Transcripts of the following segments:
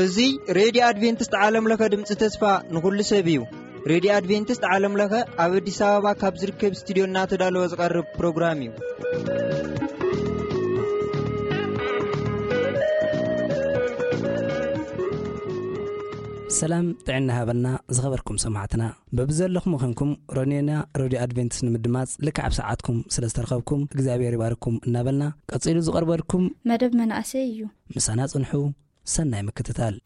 እዚ ሬድዮ ኣድቬንቲስት ዓለም ለኸ ድምፂ ተስፋ ንኹሉ ሰብ እዩ። ሬድዮ ኣድቬንቲስት ዓለም ለኸ ኣብ ኣዲስ ኣበባ ካብ ዝርከብ ስቱዲዮ እናተዳለወ ዝቐርብ ፕሮግራም እዩ። ሰላም ጥዕና ሃበና ዝኸበርኩም ሰማዕትና። በብዘለኹም ኾንኩም ሮኔና ሬድዮ ኣድቬንቲስት ንምድማጽ ልክዕ ኣብ ሰዓትኩም ስለ ዝተረኸብኩም እግዚኣብሔር ይባርኩም እናበልና፣ ቀጺሉ ዝቐርበልኩም መደብ መናእሰይ እዩ። ምሳና ጽንሑ። ሰናይ ምክትታል።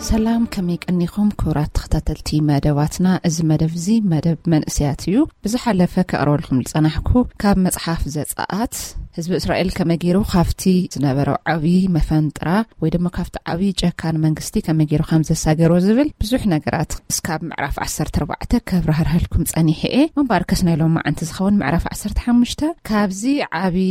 ሰላም፣ ከመይ ቀኒኹም ክቡራት ተኸታተልቲ መደባትና? እዚ መደብ እዚ መደብ መንእሰያት እዩ። ብዝሓለፈ ከቕርበልኩም ዝጸናሕኩ ካብ መጽሓፍ ዘጸኣት ህዝቢ እስራኤል ከመይ ገይሩ ካብቲ ዝነበሮ ዓብዪ መፈንጥራ ወይ ድማ ካብቲ ዓብዪ ጨካን መንግስቲ ከመይ ገይሩ ከም ዘሳገሮ ዝብል ብዙሕ ነገራት እስካብ ምዕራፍ ዓሰርተ ኣርባዕተ ከብራህርሀልኩም ጸኒሐ እየ። ምንባርከስ ናይ ሎም መዓንቲ ዝኸውን ምዕራፍ ዓሰርተ ሓሙሽተ ካብዚ ዓብዪ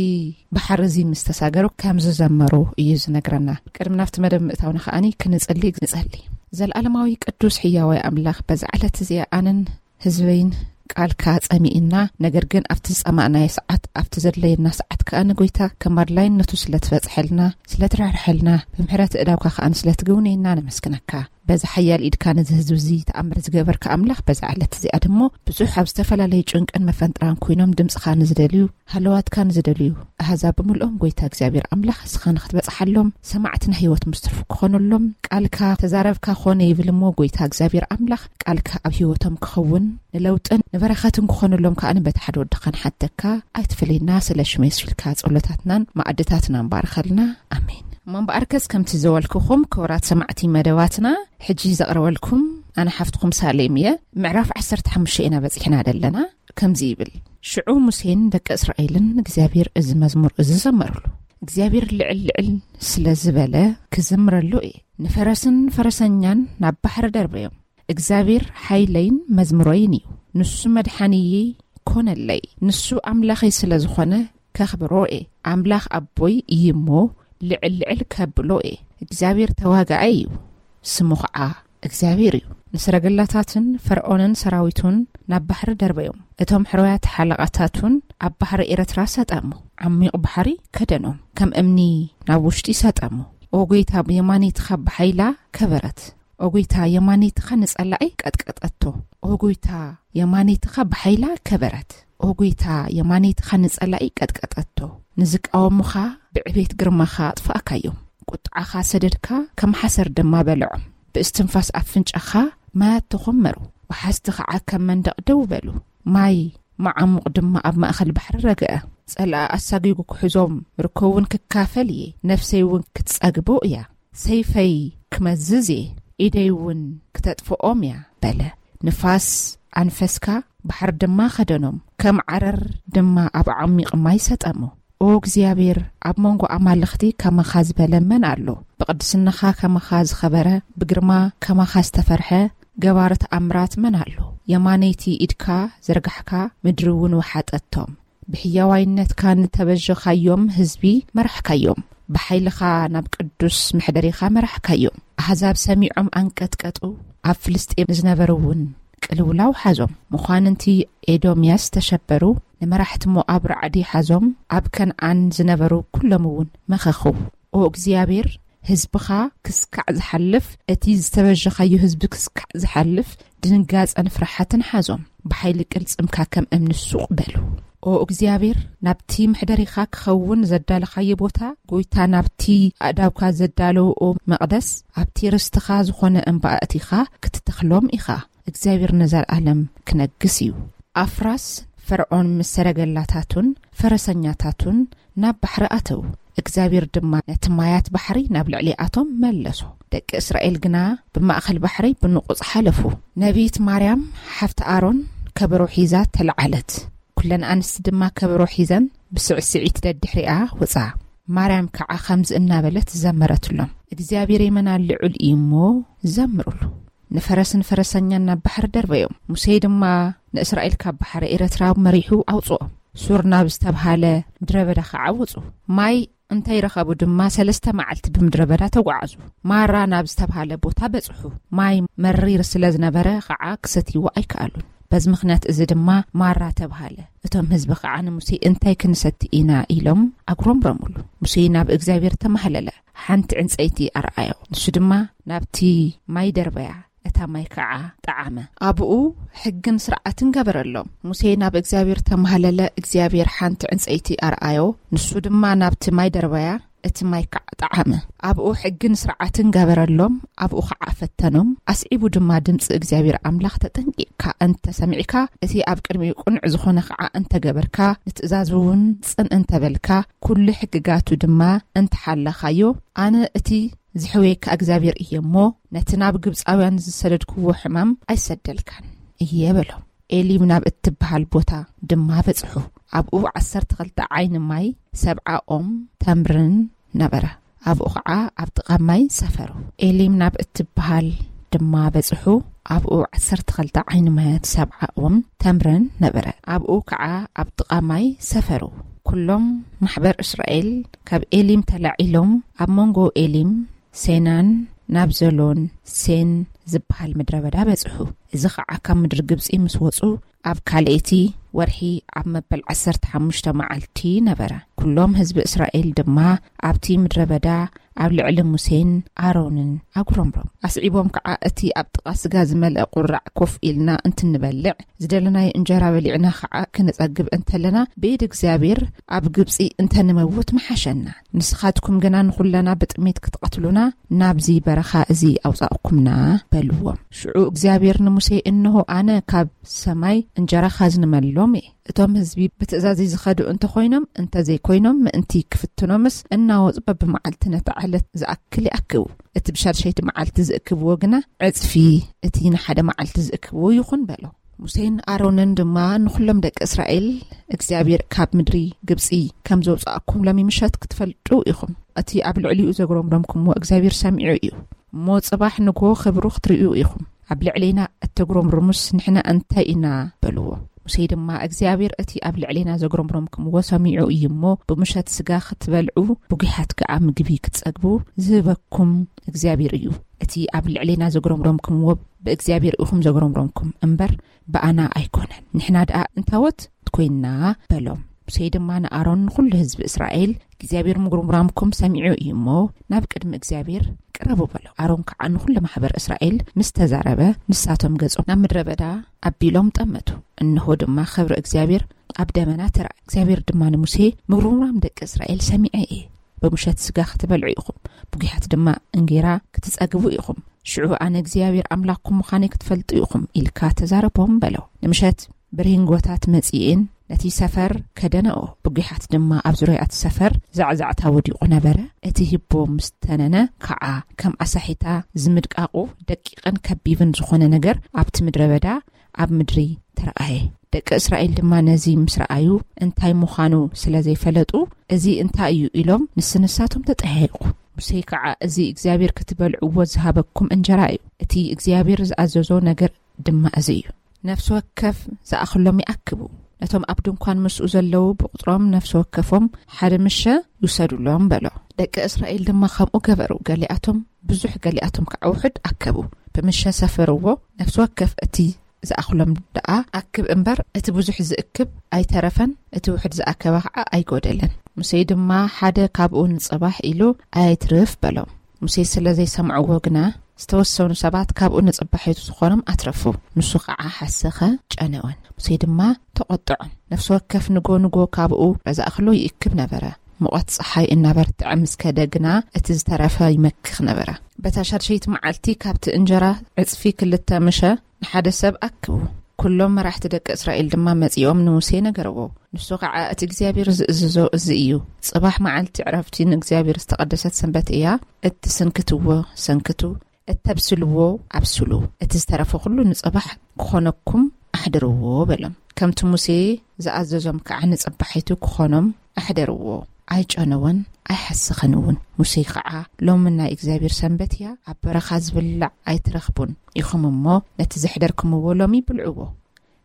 ባሕሪ እዚ ምስ ተሳገሩ ከም ዝዘመሩ እዩ ዝነግረና። ቅድሚ ናብቲ መደብ ምእታውና ከኣኒ ክንጽሊ ንጸሊ። ዘለዓለማዊ ቅዱስ ሕያዋይ ኣምላኽ በዛ ዕለት እዚኣ ኣነን ህዝበይን ቃልካ ጸሚእና፣ ነገር ግን ኣብቲ ዝጸማእናዮ ሰዓት፣ ኣብቲ ዘድለየና ሰዓት ከኣ ንጎይታ ከም ኣድላይነቱ ስለ ትበጽሐልና፣ ስለ ትራርሐልና፣ ብምሕረት እዳውካ ከኣ ስለ ትግውነየና ነመስግነካ። በዚ ሓያል ኢድካ ነዚ ህዝቢ እዚ ተኣምር ዝገበርካ ኣምላኽ፣ በዛ ዕለት እዚኣ ድሞ ብዙሕ ኣብ ዝተፈላለዩ ጭንቅን መፈንጥራን ኮይኖም ድምጽኻ ንዝደልዩ፣ ሃለዋትካ ንዝደልዩ ኣህዛብ ብምልኦም ጎይታ እግዚኣብሔር ኣምላኽ እስኻ ንኽትበጽሓሎም ሰማዕቲ ናይ ህይወት ምስትርፉ ክኾነሎም ቃልካ ተዛረብካ ኮነ ይብል እሞ ጎይታ እግዚኣብሔር ኣምላኽ ቃልካ ኣብ ህይወቶም ክኸውን ንለውጥን ንበረኸትን ክኾነሎም ከኣ በቲ ሓደ ወድኻ ንሓተካ ኣይትፍለየና ስለ ሽመ የሱስ ኢልካ ጸሎታትናን ማዕድታትናን ባርኸልና። ኣሜን። እሞ እምበኣርከስ ከምቲ ዘበልኩኹም ክቡራት ሰማዕቲ መደባትና ሕጂ ዘቕርበልኩም ኣነ ሓፍትኹም ሳሌም እየ። ምዕራፍ ዓሰርተ ሓሙሽተ ኢና በጺሕና ዘለና። ከምዚ ይብል፣ ሽዑ ሙሴን ደቂ እስራኤልን ንእግዚኣብሔር እዚ መዝሙር እዚ ዘመሩሉ። እግዚኣብሔር ልዕል ልዕል ስለ ዝበለ ክዝምረሉ እየ። ንፈረስን ፈረሰኛን ናብ ባሕሪ ደርበዮም። እግዚኣብሔር ሓይለይን መዝሙረይን እዩ። ንሱ መድሓኒየይ ኮነለይ። ንሱ ኣምላኸይ ስለ ዝኾነ ከኽብሮ እየ። ኣምላኽ ኣቦይ እዩ እሞ ልዕል ልዕል ከብሎ እየ። እግዚኣብሔር ተዋጋኣይ እዩ፣ ስሙ ኸዓ እግዚኣብሔር እዩ። ንሰረገላታትን ፈርዖንን ሰራዊቱን ናብ ባሕሪ ደርበዮም። እቶም ሕሩያት ሓለቓታቱን ኣብ ባሕሪ ኤርትራ ሰጠሙ። ዓሚቕ ባሕሪ ከደኖም፣ ከም እምኒ ናብ ውሽጢ ሰጠሙ። ኦ ጐይታ፣ የማነይትኻ ብሓይላ ከበረት። ኦ ጐይታ፣ የማነይትኻ ንጸላኢ ቀጥቀጠቶ። ኦ ጐይታ፣ የማነይትኻ ብሓይላ ከበረት። ኦ ጐይታ፣ የማነይትኻ ንጸላኢ ቀጥቀጠቶ። ንዝቃወሙኻ ብዕቤት ግርማኻ ኣጥፋእካዮም። ቁጥዓኻ ሰደድካ፣ ከም ሓሰር ድማ በልዖም። ብእስትንፋስ ኣፍንጫኻ ማያት ተኾመሩ። ወሓዝቲ ኸዓ ከም መንደቕ ደው በሉ። ማይ መዓሙቕ ድማ ኣብ ማእከል ባሕሪ ረግአ። ጸላኢ ኣሳጒጉ ክሕዞም፣ ምርኮ እውን ክካፈል እየ። ነፍሰይ እውን ክትጸግቦ እያ። ሰይፈይ ክመዝዝ እየ፣ ኢደይ እውን ክተጥፍኦም እያ በለ። ንፋስ ኣንፈስካ፣ ባሕሪ ድማ ከደኖም፣ ከም ዓረር ድማ ኣብ ዓሚቕ ማይ ሰጠሙ። ኦ እግዚኣብሔር፣ ኣብ መንጎ ኣማልኽቲ ከማኻ ዝበለ መን ኣሎ? ብቕድስናኻ ከማኻ ዝኸበረ፣ ብግርማ ከማኻ ዝተፈርሐ ገባሪ ተኣምራት መን ኣሎ? የማነይቲ ኢድካ ዘርጋሕካ፣ ምድሪ እውን ወሓጠቶም። ብሕያዋይነትካ ንተበጀኻዮም ህዝቢ መራሕካዮም። ብሓይልኻ ናብ ቅዱስ መሕደሪኻ መራሕካዮም። ኣህዛብ ሰሚዖም ኣንቀጥቀጡ፣ ኣብ ፍልስጤም ዝነበሩ እውን ቅልውላው ሓዞም። መኳንንቲ ኤዶምያስ ተሸበሩ፣ ንመራሕቲ ሞኣብ ራዕዲ ሓዞም፣ ኣብ ከነኣን ዝነበሩ ኩሎም እውን መኸኹ። ኦ እግዚኣብሔር፣ ህዝብኻ ክስካዕ ዝሓልፍ፣ እቲ ዝተበጀኻዮ ህዝቢ ክስካዕ ዝሓልፍ ድንጋጸን ፍርሓትን ሓዞም። ብሓይሊ ቅልጽምካ ከም እምኒ ሱቕ በሉ። ኦ እግዚኣብሔር፣ ናብቲ መሕደሪኻ ክኸውን ዘዳለኻዮ ቦታ፣ ጐይታ ናብቲ ኣእዳውካ ዘዳለውኦ መቕደስ፣ ኣብቲ ርስትኻ ዝኾነ እምባ ኣእቲኻ ክትተኽሎም ኢኻ። እግዚኣብሔር ንዘለኣለም ክነግስ እዩ። ኣፍራስ ፈርዖን ምስ ሰረገላታቱን ፈረሰኛታቱን ናብ ባሕሪ ኣተዉ። እግዚኣብሔር ድማ ነቲ ማያት ባሕሪ ናብ ልዕሊኣቶም መለሶ። ደቂ እስራኤል ግና ብማእከል ባሕሪ ብንቑጽ ሓለፉ። ነቢት ማርያም ሓፍቲ ኣሮን ከበሮ ሒዛ ተለዓለት። ኩለን ኣንስቲ ድማ ከበሮ ሒዘን ብስዕስዒት ደድሕሪኣ ወጻ። ማርያም ከዓ ከምዚ እናበለት ዘመረትሎም፣ እግዚኣብሔር የመና ልዑል እዩ እሞ ዘምሩሉ። ንፈረስን ፈረሰኛን ናብ ባሕሪ ደርበዮም። ሙሴ ድማ ንእስራኤል ካብ ባሕሪ ኤረትራ መሪሑ ኣውጽኦም። ሱር ናብ ዝተብሃለ ምድረ በዳ ከዓ ወጹ። ማይ እንተይረኸቡ ድማ ሰለስተ መዓልቲ ብምድረ በዳ ተጓዓዙ። ማራ ናብ ዝተብሃለ ቦታ በጽሑ። ማይ መሪር ስለ ዝነበረ ከዓ ክሰትይዎ ኣይከኣሉን። በዚ ምኽንያት እዚ ድማ ማራ ተብሃለ። እቶም ህዝቢ ከዓ ንሙሴ እንታይ ክንሰቲ ኢና ኢሎም ኣጉረምረሙሉ። ሙሴ ናብ እግዚኣብሔር ተማህለለ። ሓንቲ ዕንጸይቲ ኣርኣዮ። ንሱ ድማ ናብቲ ማይ ደርበያ፣ እታ ማይ ከዓ ጠዓመ። ኣብኡ ሕግን ስርዓትን ገበረሎም። ሙሴ ናብ እግዚኣብሔር ተማህለለ። እግዚኣብሔር ሓንቲ ዕንጸይቲ ኣርኣዮ። ንሱ ድማ ናብቲ ማይ ደርበያ፣ እቲ ማይ ከዓ ጠዓመ። ኣብኡ ሕግን ስርዓትን ገበረሎም። ኣብኡ ከዓ ፈተኖም። ኣስዒቡ ድማ ድምፂ እግዚኣብሔር ኣምላኽ ተጠንቂቕካ እንተ ሰሚዕካ፣ እቲ ኣብ ቅድሚኡ ቅኑዕ ዝኾነ ከዓ እንተገበርካ፣ ንትእዛዙ እውን ጽን እንተበልካ፣ ኩሉ ሕግጋቱ ድማ እንተሓለኻዮ፣ ኣነ እቲ ዝሕውየካ እግዚኣብሔር እየ እሞ፣ ነቲ ናብ ግብፃውያን ዝሰደድክዎ ሕማም ኣይሰደልካን እየ በሎም። ኤሊም ናብ እትበሃል ቦታ ድማ በጽሑ። ኣብኡ ዓሰርተ ክልተ ዓይኒ ማይ፣ ሰብዓ ኦም ተምርን ነበረ። ኣብኡ ኸዓ ኣብ ጥቓ ማይ ሰፈሩ። ኤሊም ናብ እትበሃል ድማ በጽሑ። ኣብኡ ዓሰርተ ክልተ ዓይኒ ማያት፣ ሰብዓ ኦም ተምርን ነበረ። ኣብኡ ከዓ ኣብ ጥቓ ማይ ሰፈሩ። ኩሎም ማሕበር እስራኤል ካብ ኤሊም ተላዒሎም ኣብ መንጎ ኤሊም ሴናን ናብ ዘሎን ሴን ዝበሃል ምድረ በዳ በጽሑ። እዚ ኸዓ ካብ ምድሪ ግብጺ ምስ ወጹ ኣብ ካልኣይቲ ወርሒ ኣብ መበል ዓሰርተ ሓሙሽተ መዓልቲ ነበረ። ኩሎም ህዝቢ እስራኤል ድማ ኣብቲ ምድረ በዳ ኣብ ልዕሊ ሙሴን ኣሮንን ኣጉረምሮም። ኣስዒቦም ከዓ፣ እቲ ኣብ ጥቓ ስጋ ዝመልአ ቁራዕ ኮፍ ኢልና እንትንበልዕ፣ ዝደለናዮ እንጀራ በሊዕና ከዓ ክነጸግብ እንተለና፣ ብኢድ እግዚኣብሔር ኣብ ግብጺ እንተንመውት ምሓሸና። ንስኻትኩም ግና ንኹለና ብጥሜት ክትቐትሉና ናብዚ በረኻ እዚ ኣውጻእኩምና በልዎም። ሽዑ እግዚኣብሔር ንሙሴ፣ እንሆ ኣነ ካብ ሰማይ እንጀራ ኻዝንመሎም እየ። እቶም ህዝቢ ብትእዛዘይ ዝኸዱ እንተኾይኖም እንተዘይኮይኖም ምእንቲ ክፍትኖምስ እናወጹ በብመዓልቲ ነቲ ዕለት ዝኣክል ይኣክቡ። እቲ ብሻድሸይቲ መዓልቲ ዝእክብዎ ግና ዕጽፊ እቲ ንሓደ መዓልቲ ዝእክብዎ ይኹን በሎ። ሙሴን ኣሮንን ድማ ንኹሎም ደቂ እስራኤል እግዚኣብሔር ካብ ምድሪ ግብጺ ከም ዘውጻእኩም ሎሚ ምሸት ክትፈልጡ ኢኹም። እቲ ኣብ ልዕሊኡ ዘጉረምረምኩምዎ እግዚኣብሔር ሰሚዑ እዩ። እሞ ጽባሕ ንግሆ ክብሩ ክትርእዩ ኢኹም። ኣብ ልዕሌና እተጉረምርሙስ ንሕና እንታይ ኢና በልዎ። ሙሴ ድማ እግዚኣብሔር እቲ ኣብ ልዕሌና ዘጉረምረምኩምዎ ሰሚዑ እዩ እሞ ብምሸት ስጋ ክትበልዑ ብጒሓት ከኣ ምግቢ ክትጸግቡ ዝህበኩም እግዚኣብሔር እዩ። እቲ ኣብ ልዕሌና ዘጉረምረምኩምዎ ብእግዚኣብሔር ኢኹም ዘጉረምረምኩም እምበር ብኣና ኣይኮነን። ንሕና ደኣ እንታወት ኮይንና በሎም። ሙሴ ድማ ንኣሮን ንኹሉ ህዝቢ እስራኤል እግዚኣብሔር ምጉርምራምኩም ሰሚዑ እዩ እሞ ናብ ቅድሚ እግዚኣብሔር ቅረቡ በሎ። ኣሮን ከዓ ንኹሉ ማሕበር እስራኤል ምስ ተዛረበ ንሳቶም ገጾም ናብ ምድረ በዳ ኣቢሎም ጠመቱ። እንሆ ድማ ክብሪ እግዚኣብሔር ኣብ ደመና ተረኣ። እግዚኣብሔር ድማ ንሙሴ ምጉርምራም ደቂ እስራኤል ሰሚዐ እየ። ብምሸት ስጋ ክትበልዑ ኢኹም፣ ብጒሓት ድማ እንጌራ ክትጸግቡ ኢኹም። ሽዑ ኣነ እግዚኣብሔር ኣምላኽኩም ምዃነይ ክትፈልጡ ኢኹም ኢልካ ተዛረቦም በሎ። ንምሸት ብርሂንጎታት መጺኤን ነቲ ሰፈር ከደነኦ። ብጒሓት ድማ ኣብ ዙርያ እቲ ሰፈር ዛዕዛዕታ ወዲቑ ነበረ። እቲ ሂቦ ምስ ተነነ ከዓ ከም ኣሳሒታ ዝምድቃቑ ደቂቕን ከቢብን ዝኾነ ነገር ኣብቲ ምድረ በዳ ኣብ ምድሪ ተረኣየ። ደቂ እስራኤል ድማ ነዚ ምስ ረኣዩ እንታይ ምዃኑ ስለ ዘይፈለጡ፣ እዚ እንታይ እዩ ኢሎም ንስንሳቶም ተጠያየቑ። ሙሴ ከዓ እዚ እግዚኣብሔር ክትበልዕዎ ዝሃበኩም እንጀራ እዩ። እቲ እግዚኣብሔር ዝኣዘዞ ነገር ድማ እዚ እዩ። ነፍሲ ወከፍ ዝኣኽሎም ይኣክቡ። ነቶም ኣብ ድንኳን ምስኡ ዘለዉ ብቑጽሮም ነፍሲ ወከፎም ሓደ ምሸ ይውሰዱሎም በሎ። ደቂ እስራኤል ድማ ከምኡ ገበሩ። ገሊኣቶም ብዙሕ ገሊኣቶም ከዓ ውሑድ ኣከቡ። ብምሸ ሰፈርዎ። ነፍሲ ወከፍ እቲ ዝኣኽሎም ደኣ ኣክብ እምበር እቲ ብዙሕ ዝእክብ ኣይተረፈን፣ እቲ ውሑድ ዝኣከበ ከዓ ኣይጎደለን። ሙሴ ድማ ሓደ ካብኡ ንጽባሕ ኢሉ ኣይትርፍ በሎም። ሙሴ ስለ ዘይሰምዕዎ ግና ዝተወሰኑ ሰባት ካብኡ ንጽባሒቱ ዝኾኖም ኣትረፉ። ንሱ ከዓ ሓሰኸ ጨነወን። ሙሴ ድማ ተቖጥዖን። ነፍሲ ወከፍ ንጎ ንጎ ካብኡ ዝኣኽሎ ይእክብ ነበረ። ሙቐት ጸሓይ እናበርትዐ ምስ ከደ ግና እቲ ዝተረፈ ይመክኽ ነበረ። በታ ሻድሸይቲ መዓልቲ ካብቲ እንጀራ ዕጽፊ ክልተ ምሸ ንሓደ ሰብ ኣክቡ። ኩሎም መራሕቲ ደቂ እስራኤል ድማ መጺኦም ንሙሴ ነገርዎ። ንሱ ኸዓ፣ "እቲ እግዚኣብሔር ዝእዝዞ እዚ እዩ። ጽባሕ መዓልቲ ዕረፍቲ ንእግዚኣብሔር ዝተቐደሰት ሰንበት እያ። እትስንክትዎ ሰንክቱ፣ እተብስልዎ ኣብስሉ። እቲ ዝተረፈ ኩሉ ንጽባሕ ክኾነኩም ኣሕድርዎ" በሎም። ከምቲ ሙሴ ዝኣዘዞም ከዓ ንጽባሒቱ ክኾኖም ኣሕደርዎ። ኣይጨነወን ኣይሓሰኸን እውን። ሙሴ ከዓ፣ "ሎሚ ናይ እግዚኣብሔር ሰንበት እያ፣ ኣብ በረኻ ዝብላዕ ኣይትረኽቡን ኢኹም እሞ፣ ነቲ ዘሕደርክምዎ ሎሚ ብልዕዎ።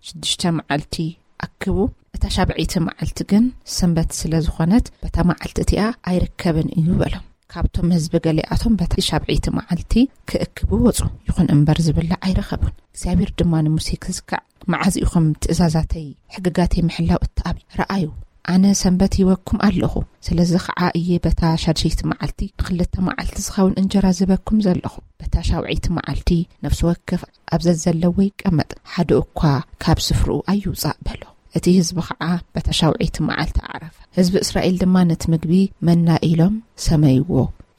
ሽዱሽተ መዓልቲ ኣክቡ፣ እታ ሻብዐይቲ መዓልቲ ግን ሰንበት ስለ ዝኾነት፣ በታ መዓልቲ እቲኣ ኣይርከብን እዩ" በሎም። ካብቶም ህዝቢ ገሊኣቶም በታ ሻብዐይቲ መዓልቲ ክእክቡ ወጹ። ይኹን እምበር ዝብላዕ ኣይረኸቡን። እግዚኣብሔር ድማ ንሙሴ ክዝካዕ፣ "መዓዝ ኢኹም ትእዛዛተይ ሕግጋተይ ምሕላው እትኣብ? ረኣዩ፣ ኣነ ሰንበት ሂበኩም ኣለኹ። ስለዚ ኸዓ እየ በታ ሻድሸይቲ መዓልቲ ንኽልተ መዓልቲ ዝኸውን እንጀራ ዝህበኩም ዘለኹ። በታ ሻብዐይቲ መዓልቲ ነፍሲ ወከፍ ኣብ ዘዘለዎ ይቀመጥ፣ ሓደ እኳ ካብ ስፍርኡ ኣይውጻእ" በሎ። እቲ ህዝቢ ኸዓ በታ ሻብዐይቲ መዓልቲ ኣዕረፈ። ህዝቢ እስራኤል ድማ ነቲ ምግቢ መና ኢሎም ሰመይዎ።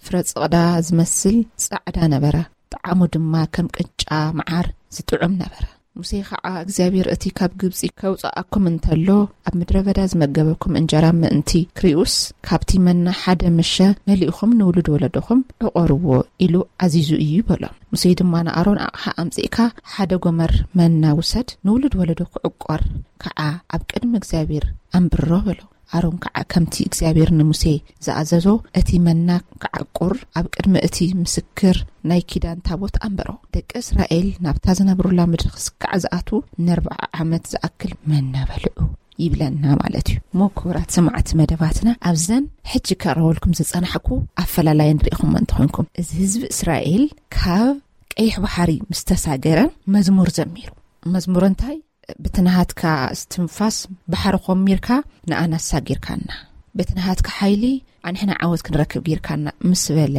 ፍረ ጽቕዳ ዝመስል ጻዕዳ ነበረ፣ ጣዕሙ ድማ ከም ቅጫ መዓር ዝጥዑም ነበረ። ሙሴ ኸዓ፣ "እግዚኣብሔር እቲ ካብ ግብጺ ከውጽኣኩም እንተሎ፣ ኣብ ምድረ በዳ ዝመገበኩም እንጀራ ምእንቲ ክሪኡስ፣ ካብቲ መና ሓደ ምሸ መሊእኹም ንውሉድ ወለዶኹም ዕቆርዎ ኢሉ ኣዚዙ እዩ" በሎም። ሙሴ ድማ ንኣሮን፣ "ኣቕሓ ኣምጺእካ ሓደ ጎመር መና ውሰድ፣ ንውሉድ ወለዶ ክዕቆር ከዓ ኣብ ቅድሚ እግዚኣብሔር ኣንብሮ" በሎ። ኣሮን ከዓ ከምቲ እግዚኣብሔር ንሙሴ ዝኣዘዞ፣ እቲ መና ክዓቁር ኣብ ቅድሚ እቲ ምስክር ናይ ኪዳን ታቦት ኣንበሮ። ደቂ እስራኤል ናብታ ዝነብሩላ ምድሪ ክስካዕ ዝኣትዉ ንኣርብዓ ዓመት ዝኣክል መና በልዑ ይብለና ማለት እዩ። እሞ ክቡራት ሰማዕቲ መደባትና፣ ኣብዘን ሕጂ ከቕርበልኩም ዝጸናሕኩ ኣፈላላየን ርኢኹሞ እንተኾንኩም፣ እዚ ህዝቢ እስራኤል ካብ ቀይሕ ባሕሪ ምስ ተሳገረ መዝሙር ዘሚሩ። መዝሙር እንታይ? "በቲ ናሃትካ እስትንፋስ ባሕሪ ኮሚርካ ንኣና ኣሳጊርካና፣ በቲ ናሃትካ ሓይሊ ኣንሕና ዓወት ክንረክብ ጌርካና" ምስ በለ፣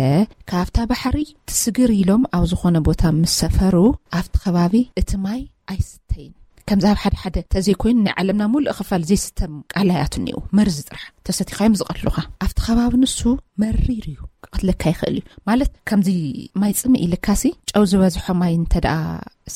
ካብታ ባሕሪ ትስግር ኢሎም ኣብ ዝኾነ ቦታ ምስ ሰፈሩ፣ ኣብቲ ከባቢ እቲ ማይ ኣይስተይን። ከምዚ ኣብ ሓደ ሓደ ተዘይኮይኑ ናይ ዓለምና ሙሉእ ክፋል ዘይስተ ቃላያት እኒኡ፣ መርዚ ጥራሕ ተሰቲኻዮም ዝቐትሉኻ። ኣብቲ ከባቢ ንሱ መሪር እዩ፣ ክቐትለካ ይኽእል እዩ። ማለት ከምዚ ማይ ጽምእ ኢልካሲ፣ ጨው ዝበዝሖ ማይ እንተ ደኣ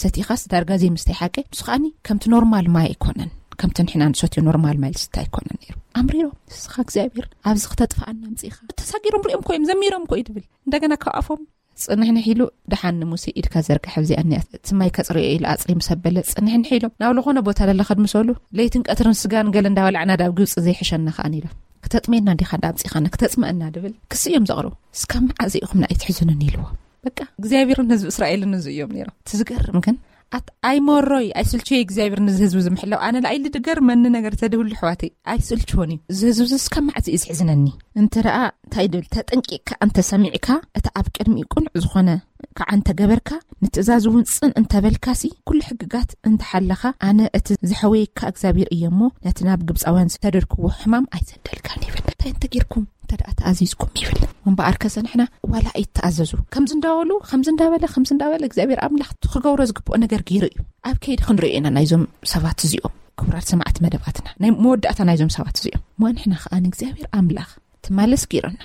ሰቲኻስ ዳርጋ ዘይምስታይ ሓቂ፣ ንሱ ከኣኒ ከምቲ ኖርማል ማይ ኣይኮነን፣ ከምቲ ንሕና ንሰትዮ ኖርማል ማይ ዝስተ ኣይኮነን ነይሩ። ኣምሪሮም፣ "ንስኻ እግዚኣብሔር ኣብዚ ክተጥፍኣና ኣምጺእኻ?" ተሳጊሮም ሪኦም እኮ እዮም፣ ዘሚሮም እኮ እዩ ትብል። እንደገና ካብ ኣፎም፣ "ጽንሕንሕ ኢሉ፣ ደሓን ንሙሴ ኢድካ ዘርግሕ፣ ኣብዚኣ እኒኣ፣ እቲ ማይ ከጽርዮ ኢሉ ኣጽሪ" ምስ ኣበለ፣ ጽንሕንሕ ኢሎም ናብ ዝኾነ ቦታ ለለ ከድምሰሉ፣ "ለይትን ቀትርን ስጋን ገለ እንዳበላዕና ዳብ ግብጺ ዘይሕሸና ከኣን" ኢሎም። "ክተጥሜና እንዲኻ እንዳ ኣምጺኻና፣ ክተጽምአና?" ድብል ክሲ እዮም ዘቕርቡ። "እስካብ መዓዝ ኢኹም ንኣይ ትሕዙንን?" ኢልዎ። በቃ እግዚኣብሔርን ህዝቢ እስራኤልን እዚ እዮም ነይሮም። እቲ ዝገርም ግን፣ ኣት-፣ "ኣይመሮይ ኣይስልችዮ እግዚኣብሔር ነዚ ህዝቢ ዝምሕላው፣ ኣነ ለኣይሊ ድገርመኒ ነገር ተድህሉ ኣሕዋተይ፣ ኣይስልችዎን እዩ። እዚ ህዝቢ እዚ እስካብ መዓዝ እዩ ዝሕዝነኒ?" እንተ ደኣ እንታይ ድብል፣ ተጠንቂቕካ እንተ ሰሚዕካ፣ እቲ ኣብ ቅድሚኡ ቅኑዕ ዝኾነ ከዓ እንተ ገበርካ፣ ንትእዛዝ እውን ጽን እንተ በልካሲ፣ ኩሉ ሕግጋት እንተ ሓለኻ፣ ኣነ እቲ ዝሐወየካ እግዚኣብሔር እየ እሞ፣ ነቲ ናብ ግብጻውያን ዝተደርክዎ ሕማም ኣይሰደልካን ይብል። እንታይ እንተ ጌርኩም? እንተ ደኣ ተኣዚዝኩም ይብል። እምበኣርከሰ ንሕና ዋላ ኣይተኣዘዙ፣ ከምዚ እንዳበሉ፣ ከምዚ እንዳበለ፣ ከምዚ እንዳበለ፣ እግዚኣብሔር ኣምላኽ እቲ ክገብሮ ዝግብኦ ነገር ገይሩ እዩ። ኣብ ከይዲ ክንሪኦ ኢና ናይዞም ሰባት እዚኦም። ክቡራት ሰማዕቲ መደባትና፣ ናይ መወዳእታ ናይዞም ሰባት እዚኦም። እሞ ንሕና ከኣ ንእግዚኣብሔር ኣምላኽ ትማለስ ገይሩና።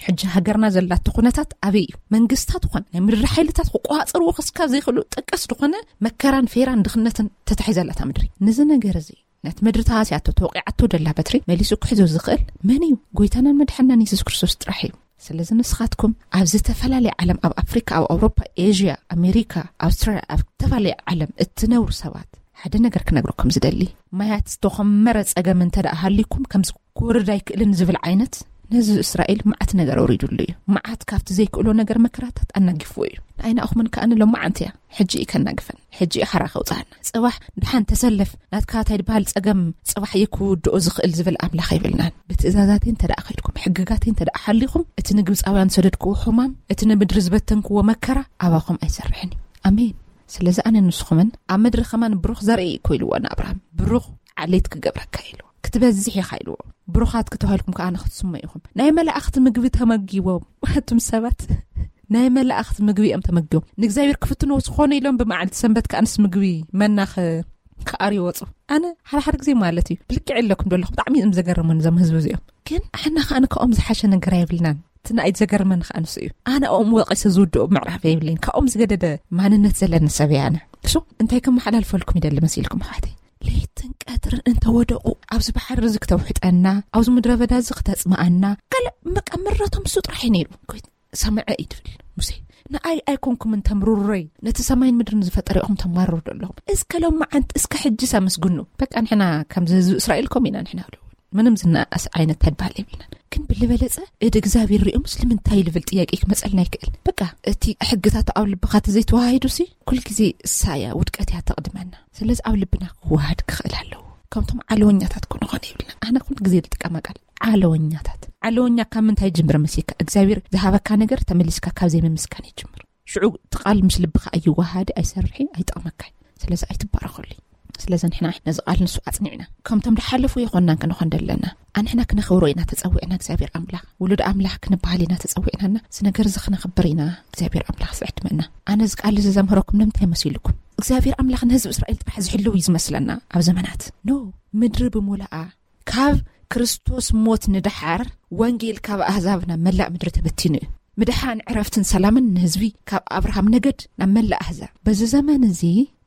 ሕጂ ሃገርና ዘላቶ ኩነታት ኣበይ እዩ? መንግስታት ኾነ ናይ ምድሪ ሓይልታት ክቆጻጸርዎ ክስካብ ዘይኽእሉ ጠቀስ ዝኾነ መከራን ፌራን ድኽነትን ተታሒዛላታ ምድሪ። ነዚ ነገር እዚ፣ ነቲ ምድሪ ተሃስያቶ ተወቂዓቶ ደላ በትሪ መሊሱ ክሕዞ ዝኽእል መን እዩ? ጎይታናን መድሓናን የሱስ ክርስቶስ ጥራሕ እዩ። ስለዚ ንስኻትኩም ኣብ ዝተፈላለየ ዓለም፣ ኣብ ኣፍሪካ፣ ኣብ ኣውሮፓ፣ ኤዥያ፣ ኣሜሪካ፣ ኣውስትራልያ፣ ኣብ ዝተፈላለየ ዓለም እትነብሩ ሰባት ሓደ ነገር ክነግረኩም ዝደሊ፣ ማያት ዝተኾመረ ጸገም እንተ ደኣ ሃልዩኩም ከምዚ ክወርድ ኣይክእልን ዝብል ዓይነት፣ ነዚ እስራኤል መዓት ነገር ኣውሪዱሉ እዩ። መዓት ካብቲ ዘይክእሎ ነገር መከራታት ኣናጊፍዎ እዩ። ንኣይናእኹምን ከኣ ንሎማዓንቲ እያ። ሕጂ እዩ ከናግፈን። ሕጂ እዩ ሓራ ከውጽኣና። ጽባሕ ድሓን ተሰለፍ፣ ናትካ እንታይ ድበሃል ጸገም ጽባሕ እዩ ክውድኦ ዝኽእል ዝብል ኣምላኽ የብልናን። ብትእዛዛተይ እንተ ደኣ ከይድኩም፣ ሕግጋተይ እንተ ደኣ ሓሊኹም፣ እቲ ንግብጻውያን ዝሰደድክዎ ሕማም፣ እቲ ንምድሪ ዝበተንክዎ መከራ ኣባኹም ኣይሰርሕን እዩ። ኣሜን። ስለዚ ኣነ ንስኹምን ኣብ ምድሪ ከማን ብሩኽ ዘርኢ እኮ ኢልዎ ንኣብርሃም። ብሩኽ ዓሌት ክገብረካ ኢልዎ። ክትበዝሕ ኢኻ ኢልዎ። ብሩኻት ክተባሂልኩም ከኣ ንክትስመ ኢኹም። ናይ መላእኽቲ ምግቢ ተመጊቦም። ኣቱም ሰባት፣ ናይ መላእኽቲ ምግቢ እዮም ተመጊቦም። ንእግዚኣብሔር ክፍትንዎ ዝኾነ ኢሎም ብመዓልቲ ሰንበት ከኣንስ ምግቢ መና ኸ-፣ ክኣርዩ ወጹ። ኣነ ሓደ ሓደ ግዜ ማለት እዩ፣ ብልክዕ ኣለኩም ዶ ኣለኹም? ብጣዕሚ እዮም ዘገርሙን እዞም ህዝቢ እዚኦም። ግን ኣሕና ከኣ ንከኦም ዝሓሸ ነገር ኣይብልናን። እቲ ንኣይ ዘገርመኒ ከዓ ንሱ እዩ። ኣነ ኣብኦም ወቂሰ ዝውድኦ ምዕራፍ የብለይን። ካብኦም ዝገደደ ማንነት ዘለኒ ሰብ እየ ኣነ። እሱ እንታይ ከመሓላልፈልኩም ይደሊ መሲልኩም ኣሕዋተይ? ለይትን ቀትርን እንተወደቑ ኣብዚ ባሕሪ እዚ ክተውሕጠና፣ ኣብዚ ምድረ በዳ እዚ ክተጽምኣና፣ ካልእ በቃ ምረቶም እሱ ጥራሕ እዩ ነይሩ። ሰምዐ እዩ ትብል ሙሴ። ንኣይ ኣይኮንኩምን ተምርሮይ፣ ነቲ ሰማይን ምድርን ዝፈጠረ ኢኹም ተማርሩ ኣለኹም። እስከ ሎማዓንቲ እስከ ሕጅስ ኣመስግኑ። በቃ ንሕና ከምዚ ህዝቢ እስራኤል ከምኡ ኢና ንሕና ዶ ምንም ዝነኣስ ዓይነት ተድባል የብልናን። ግን ብልበለጸ እድ እግዚኣብሔር ሪኦምስ ንምንታይ ልብል ጥያቄ ክመጸልና ይክእል። በቃ እቲ ሕግታት ኣብ ልብኻ ተዘይተዋሂዱሲ ኩልግዜ እሳያ ውድቀት እያ ተቕድመና። ስለዚ ኣብ ልብና ክወሃድ ክኽእል ኣለዎ። ከምቶም ዓለወኛታት ክንኾን የብልና። ኣነ ኩሉ ግዜ ዝጥቀማ ቃል ዓለወኛታት። ዓለወኛ ካብ ምንታይ ይጅምር መሲልካ? እግዚኣብሔር ዝሃበካ ነገር ተመሊስካ ካብ ዘይምምስጋን ይጅምር። ሽዑ እቲ ቃል ምስ ልብኻ ኣይወሃድ፣ ኣይሰርሒ፣ ኣይጠቕመካይ። ስለዚ ኣይትባረኸሉ። ስለዚ ንሕና ነዚ ቃል ንሱ ኣጽኒዕና ከምቶም ዝሓለፉ የኾንናን ክንኾን ደለና። ኣንሕና ክነኽብሮ ኢና ተጸዊዕና። እግዚኣብሔር ኣምላኽ ውሉድ ኣምላኽ ክንበሃል ኢና ተጸዊዕናና። እዚ ነገር እዚ ክነኽብር ኢና። እግዚኣብሔር ኣምላኽ ዝዕድመና። ኣነ እዚ ቃል እዚ ዘምህረኩም ንምንታይ መሲልኩም? እግዚኣብሔር ኣምላኽ ንህዝቢ እስራኤል ጥራሕ ዝሕልው እዩ ዝመስለና ኣብ ዘመናት። ኖ፣ ምድሪ ብምሉኣ ካብ ክርስቶስ ሞት ንደሓር ወንጌል ካብ ኣህዛብ ናብ መላእ ምድሪ ተበቲኑ እዩ። ምድሓን ዕረፍትን ሰላምን ንህዝቢ ካብ ኣብርሃም ነገድ ናብ መላእ ኣህዛብ። በዚ ዘመን እዚ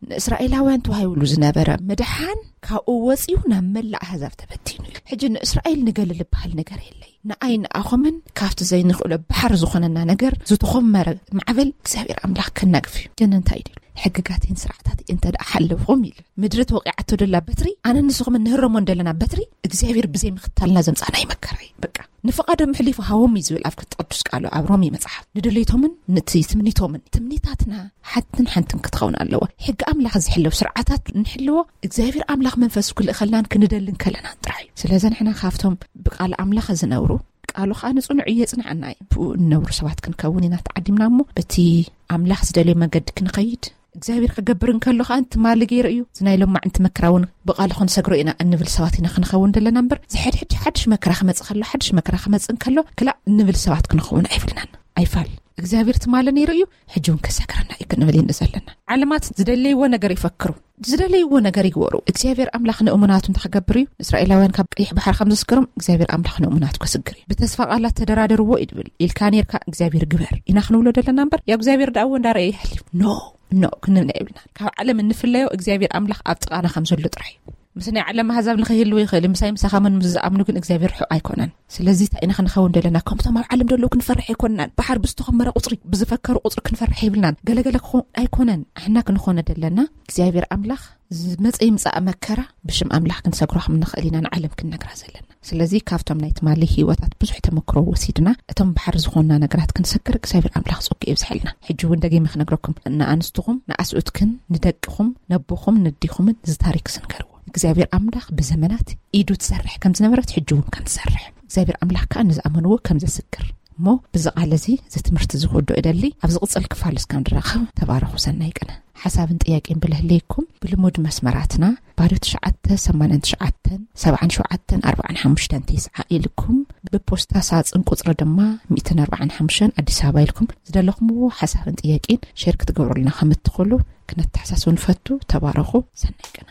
ንእስራኤላውያን ተዋሂብሉ ዝነበረ ምድሓን ካብኡ ወጺኡ ናብ መላእ ኣህዛብ ተበቲኑ እዩ። ሕጂ ንእስራኤል ንገለ ዝበሃል ነገር የለይ። ንኣይ ንኣኹምን ካብቲ ዘይንኽእሎ ባሕሪ ዝኾነና ነገር ዝተኾመረ ማዕበል እግዚኣብሔር ኣምላኽ ከናግፍ እዩ። ግን እንታይ ድዩ? ሕግጋተይን ስርዓታት እንተ ደኣ ሓለፍኹም ኢሉ። ምድሪ ተወቂዓቶ ደላ በትሪ ኣነ ንስኹም እንህረሞን ደለና በትሪ እግዚኣብሔር ብዘይ ምኽታልና ዘምጻና ይመከራ እዩ። በቃ ንፍቓዶም ሕሊፉ ሃቦም እዩ ዝብል ኣብ ቅዱስ ቃሉ ኣብ ሮሜ መጽሓፍ። ንድሌቶምን ንትምኒቶምን ትምኒታትና ሓንትን ሓንትን ክትኸውን ኣለዎ። ሕጊ ኣምላኽ ዝሕለዉ ስርዓታት ንሕልዎ እግዚኣብሔር ኣምላኽ መንፈስ ክልእኸልናን ክንደልን ከለና ጥራሕ እዩ። ስለዚ ንሕና ካብቶም ብቃል ኣምላኽ ዝነብሩ ቃሉ ኸኣ ንጽኑዕ እዩ የጽንዓና እዩ። ብኡ እንነብሩ ሰባት ክንከውን ኢና ተዓዲምና እሞ በቲ ኣምላኽ ዝደልዮ መገዲ ክንኸይድ እግዚኣብሔር ክገብር እንከሎ ኸኣ ትማሊ ገይሩ እዩ። እዚ ናይ ሎማዕንቲ መከራ እውን ብቓሉ ክንሰግሮ ኢና እንብል ሰባት ኢና ክንኸውን ዘለና እምበር ዝሕድሕድ ሓድሽ መከራ ክመጽእ ከሎ ሓድሽ መከራ ክመጽእ እንከሎ ክላእ እንብል ሰባት ክንኸውን ኣይብልናን። ኣይፋል እግዚኣብሔር ትማሊ ነይሩ እዩ ሕጂ እውን ከሰግረና እዩ ክንብል ኢና ዘለና። ዓለማት ዝደለይዎ ነገር ይፈክሩ፣ ዝደለይዎ ነገር ይግበሩ። እግዚኣብሔር ኣምላኽ ንእሙናቱ እንታይ ክገብር እዩ? ንእስራኤላውያን ካብ ቀይሕ ባሕሪ ከም ዘስገሮም እግዚኣብሔር ኣምላኽ ንእሙናቱ ከስግር እዩ። ብተስፋ ቃላት ተደራደርዎ እዩ ድብል ኢልካ ነርካ እግዚኣብሔር ግበር ኢና ክንብሎ ዘለና እምበር ያው እግዚኣብሔር ደኣ እውን እንዳረእየ ይሕልፍ ኖ ኖ ክንብል የብልና። ካብ ዓለም እንፍለዮ እግዚኣብሔር ኣምላኽ ኣብ ጥቓና ከም ዘሎ ጥራሕ እዩ። ምስ ናይ ዓለም ኣህዛብ ንኸይህልው ይኽእል እዩ። ምሳይ ምሳኻ መን ምስ ዝኣምኑ ግን እግዚኣብሔር ርሑቕ ኣይኮነን። ስለዚ እንታይ ኢና ክንኸውን ዘለና? ከምቶም ኣብ ዓለም ዘለዉ ክንፈርሕ ኣይኮንናን። ባሕር ብዝተኾመረ ቁፅሪ ብዝፈከሩ ቁፅሪ ክንፈርሕ የብልናን። ገለገለ ክኸውን ኣይኮነን። ኣሕና ክንኾነ ዘለና እግዚኣብሔር ኣምላኽ ዝመፀ ይምፃእ መከራ ብሽም ኣምላኽ ክንሰግሮ ከም ንኽእል ኢና ንዓለም ክንነግራ ዘለና። ስለዚ ካብቶም ናይ ትማሊ ህይወታት ብዙሕ ተመክሮ ወሲድና እቶም ባሕር ዝኾንና ነገራት ክንሰግር እግዚኣብሔር ኣምላኽ ጸጉ የብዝሐልና። ሕጂ እውን ደጊመ ክነግረኩም ንኣንስትኹም ንኣስኡትክን ንደቅኹም ነቦኹም ነዲኹምን እዚ ታሪክ ዝንገርዎ እግዚኣብሔር ኣምላኽ ብዘመናት ኢዱ ትሰርሕ ከም ዝነበረት ሕጂ እውን ከም ትሰርሕ እግዚኣብሔር ኣምላኽ ከዓ ንዝኣመንዎ ከም ዘስግር እሞ ብዚ ቃል እዚ እዚ ትምህርቲ ዝወዶ እደሊ ኣብ ዝቕጽል ክፋል እስካብ ንራኸብ ተባረኹ። ሰናይ ቅነ። ሓሳብን ጥያቄን ብልህለይኩም ብልሙድ መስመራትና ባዶ ትሽዓተ ሰማንያን ትሽዓተን ሰብዓን ሸውዓተን ኣርባዓን ሓሙሽተን ተስዓ ኢልኩም ብፖስታ ሳጽን ቁጽሪ ድማ ሚእትን ኣርባዓን ሓሙሽተን ኣዲስ ኣበባ ኢልኩም ዝደለኹምዎ ሓሳብን ጥያቄን ሼር ክትገብሩልና ከም እትኽእሉ ክነተሓሳስብ ንፈቱ። ተባረኹ። ሰናይ ቅነ።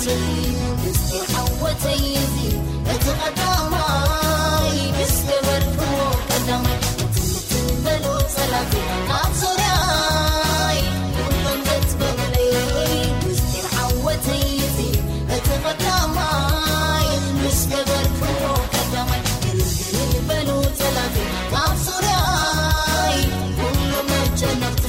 ምስጢር ዓወተይ እዚ እቲ ቀዳማይ፣ ምስ ገበርክዎ ቀዳማይ፣ ትንትን በሉ ጸላቲ ኣብ ዙርያይ፣ ኩሎም ገጽ በሉለይ። ምስጢር ዓወተይ እዚ እቲ ቀዳማይ፣ ምስ ገበርክዎ ቀዳማይ፣ ግልግል በሉ ጸላቲ ኣብ ዙርያይ፣ ኩሎም መጨነቕቲ።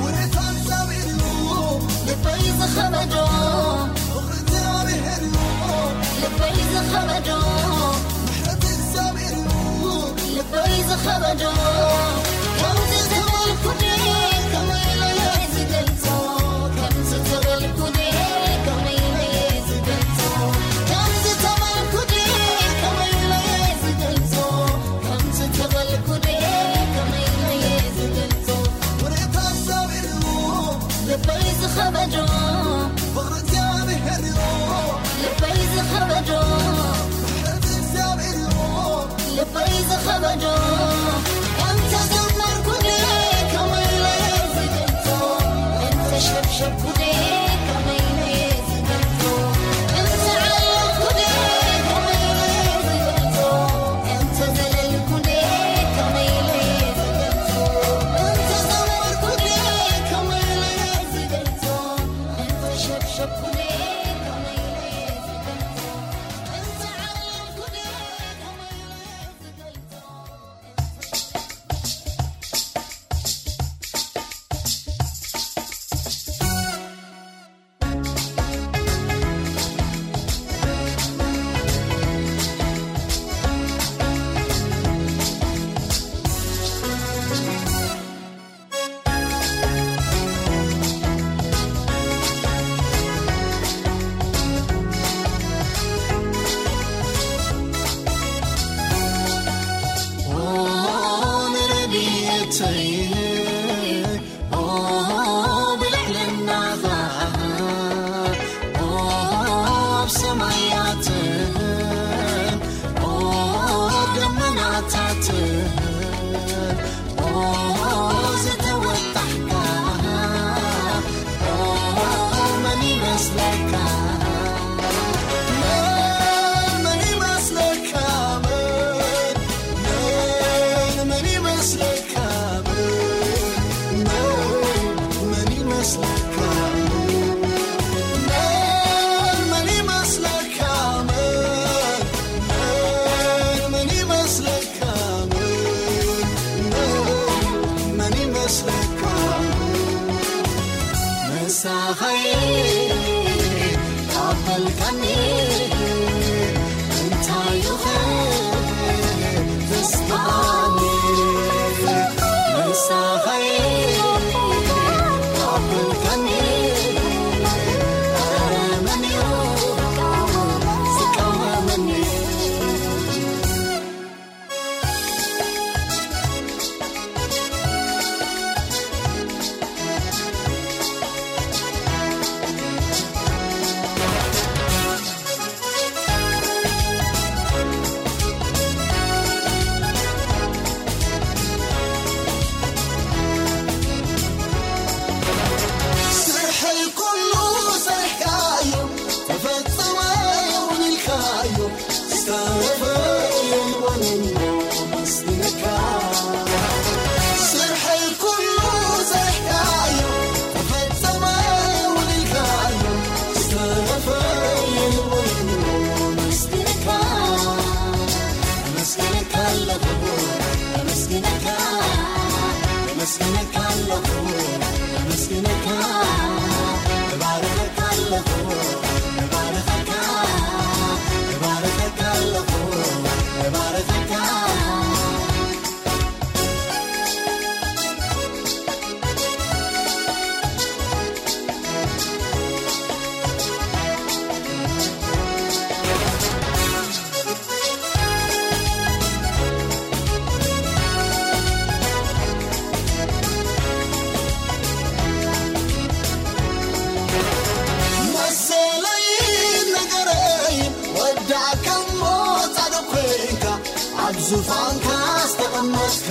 ውርታን ሳቢሉ ልበይ ዝኸበዶ፣ ፍቕሪ እግዚኣብሔር እዩ ልበይ ዝኸበዶ። ምሕረት እግዚኣብሔር እዩ ልበይ ዝኸበዶ። ከምዚ ተበልኩ ድየ ከመይ ኢለ እየ ዝገልጾ? ከምዚ ተበልኩ ድየ ከመይ ኢለ እየ ዝገልጾ? ከምዚ ተበልኩ ድየ ከመይ ኢለ እየ ዝገልጾ? ከምዚ ተበልኩ ድየ ከመይ ኢለ እየ ዝገልጾ? ውርታን ሳቢሉ ልበይ ዝኸበዶ፣ ፍቕሪ እግዚኣብሔር እዩ ልበይ ዝኸበዶ። ምሕረት እግዚኣብሔር እዩ ልበይ ዝኸበዶ። እንተ ዘመርኩ ድየ ከመይ ኢለ እየ ዝገልጾ? እንተ ሸብሸብኩ ድየ ከመይ ኢለ እየ ዝገልጾ? እንተ ዓለልኩ ድየ ከመይ ኢለ እየ ዝገልጾ? እንተ ዘለልኩ ድየ ከመይ ኢለ እየ ዝገልጾ? እንተ ዘመርኩ ድየ ከመይ ኢለ እየ ዝገልጾ? እንተ ሸብሸብኩ ድየ ከመይ ኢለ እየ ዝገልጾ? ኦ ንረድኤተይ፣ ኦ ብልዕልና ኸዓ፣ ኦ ኣብ ሰማያትን፣ ኦ ደመናታትን፣ ኦ ዝተወጣሕካ፣ ኦ መን ይመስለካ? መን፣ መን ይመስለካ? መን፣ መን፣ መን ይመስለካ? መን፣ መን፣ መን ይመስለካ? መን፣ መን ይመስለካ? መን፣ መን፣ መን ይመስለካ? መን ይመስለካ? ምሳኸይ ካብ በልካኒ እንታይ እዩ ተስፋኒ? ምሳኸይ ካብ በልካኒ ኧረ መን እዩ ዝቃወመኒ? ስርሐይ ኩሉ ሰሪሕካዮ፣ ተፈጸመ እውን ኢልካዮ፣ ዝተረፈ የልቦን እሞ መስግነካ። ስርሐይ ኩሉ ሰሪሕካዮ፣ ተፈጸመ እውን ኢልካዮ፣ ዝተረፈ የልቦን እሞ መስግነካ። ኣመስግነካ ኣለኹ፣ ኣመስግነካ፣ ኣመስግነካ ኣለኹ፣ ኣመስግነካ፣ እባርኸካ ኣለኹ፣ እባርኸካ፣ እባርኸካ ኣለኹ፣ እባርኸካ። ዙፋንካ ዝተቐመስካ